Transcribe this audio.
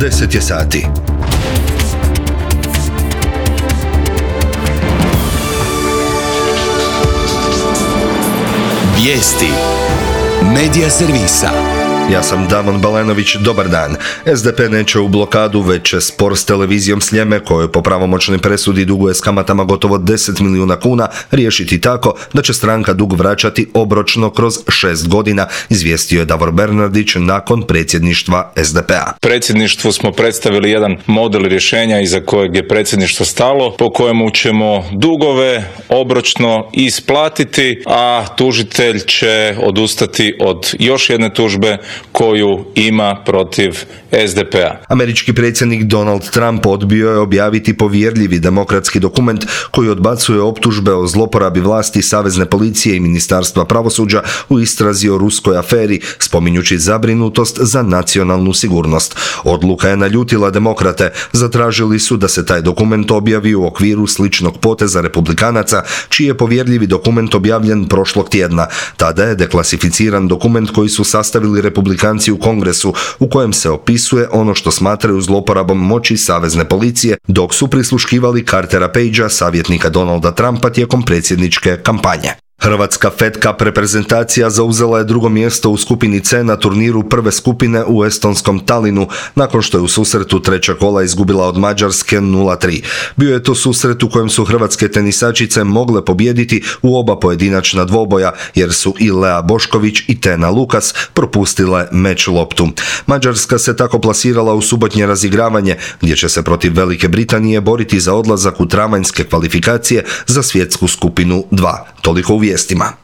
10 je sati. Vijesti Medija servisa. Ja sam Damon Balenović, dobar dan. SDP neće u blokadu, već će spor s televizijom Sljeme, kojoj po pravomoćnoj presudi duguje s kamatama gotovo 10 milijuna kuna, riješiti tako da će stranka dug vraćati obročno kroz 6 godina, izvijestio je Davor Bernardić nakon predsjedništva SDP-a. Predsjedništvu smo predstavili jedan model rješenja iza kojeg je predsjedništvo stalo, po kojemu ćemo dugove obročno isplatiti, a tužitelj će odustati od još jedne tužbe koju ima protiv SDP-a. Američki predsjednik Donald Trump odbio je objaviti povjerljivi demokratski dokument koji odbacuje optužbe o zloporabi vlasti Savezne policije i Ministarstva pravosuđa u istrazi o ruskoj aferi, spominjući zabrinutost za nacionalnu sigurnost. Odluka je naljutila demokrate, zatražili su da se taj dokument objavi u okviru sličnog poteza republikanaca, čiji je povjerljivi dokument objavljen prošlog tjedna. Tada je deklasificiran dokument koji su sastavili republikanci u Kongresu, u kojem se opisuje ono što smatraju zloporabom moći Savezne policije, dok su prisluškivali Cartera Pagea, savjetnika Donalda Trumpa, tijekom predsjedničke kampanje. Hrvatska Fed Cup reprezentacija zauzela je drugo mjesto u skupini C na turniru prve skupine u estonskom Talinu, nakon što je u susretu treća kola izgubila od Mađarske 0-3. Bio je to susret u kojem su hrvatske tenisačice mogle pobijediti u oba pojedinačna dvoboja, jer su i Lea Bošković i Tena Lukas propustile meč loptu. Mađarska se tako plasirala u subotnje razigravanje, gdje će se protiv Velike Britanije boriti za odlazak u travanjske kvalifikacije za svjetsku skupinu 2. Toliko u vijestima.